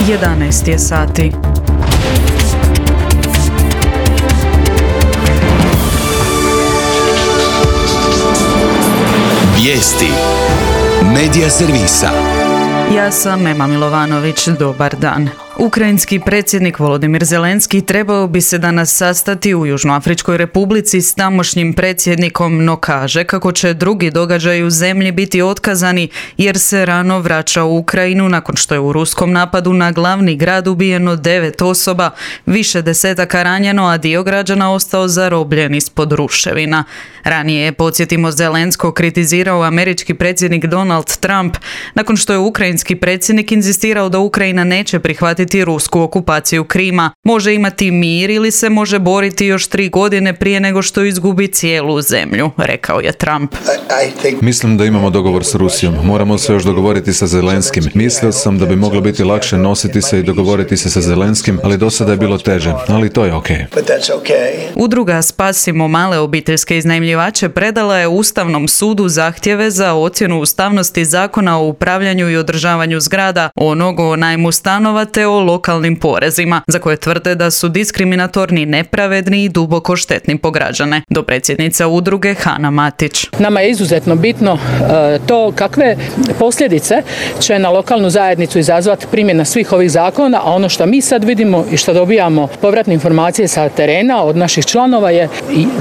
11 je sati. Vijesti Medija servisa. Ja sam Ema Milovanović, dobar dan. Ukrajinski predsjednik Volodimir Zelenski trebao bi se danas sastati u Južnoafričkoj Republici s tamošnjim predsjednikom, no kaže kako će drugi događaji u zemlji biti otkazani jer se rano vraća u Ukrajinu nakon što je u ruskom napadu na glavni grad ubijeno 9 osoba, više desetaka ranjeno, a dio građana ostao zarobljen ispod ruševina. Ranije je, podsjetimo, Zelenskog kritizirao američki predsjednik Donald Trump nakon što je ukrajinski predsjednik inzistirao da Ukrajina neće prihvatiti rusku okupaciju Krima. Može imati mir ili se može boriti još 3 godine prije nego što izgubi cijelu zemlju, rekao je Trump. Mislim da imamo dogovor s Rusijom. Moramo se još dogovoriti sa Zelenskim. Mislio sam da bi moglo biti lakše nositi se i dogovoriti se sa Zelenskim, ali do sada je bilo teže. Ali to je okej. Udruga Spasimo male obiteljske iznajmljivače predala je Ustavnom sudu zahtjeve za ocjenu ustavnosti zakona o upravljanju i održavanju zgrada, onog o najmu stanova te o lokalnim porezima, za koje tvrde da su diskriminatorni, nepravedni i duboko štetni po građane. Dopredsjednica udruge Hana Matić. Nama je izuzetno bitno to kakve posljedice će na lokalnu zajednicu izazvati primjena svih ovih zakona, a ono što mi sad vidimo i što dobijamo povratne informacije sa terena od naših članova je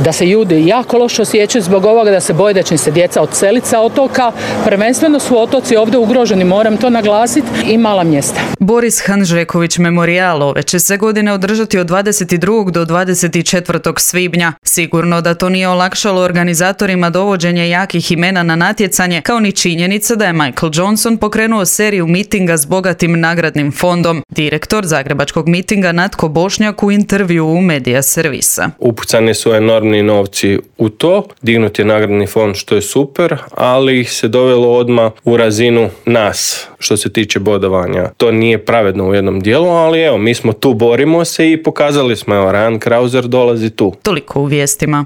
da se ljudi jako loše osjećaju zbog ovoga, da se boje da će se djeca odseliti sa otoka. Prvenstveno su otoci ovdje ugroženi, moram to naglasiti, i mala mjesta. Boris Hanžeković memorijal ove će se godine održati od 22. do 24. svibnja. Sigurno da to nije olakšalo organizatorima dovođenje jakih imena na natjecanje, kao ni činjenica da je Michael Johnson pokrenuo seriju mitinga s bogatim nagradnim fondom. Direktor zagrebačkog mitinga Natko Bošnjak u intervju u Medija servisa. Upucani su enormni novci u to, dignut je nagradni fond što je super, ali ih se dovelo odmah u razinu nas što se tiče bodovanja. To nije pravedno u jednom dijelu, ali evo, mi smo tu, borimo se i pokazali smo, evo, Ryan Krauser dolazi tu. Toliko u vijestima.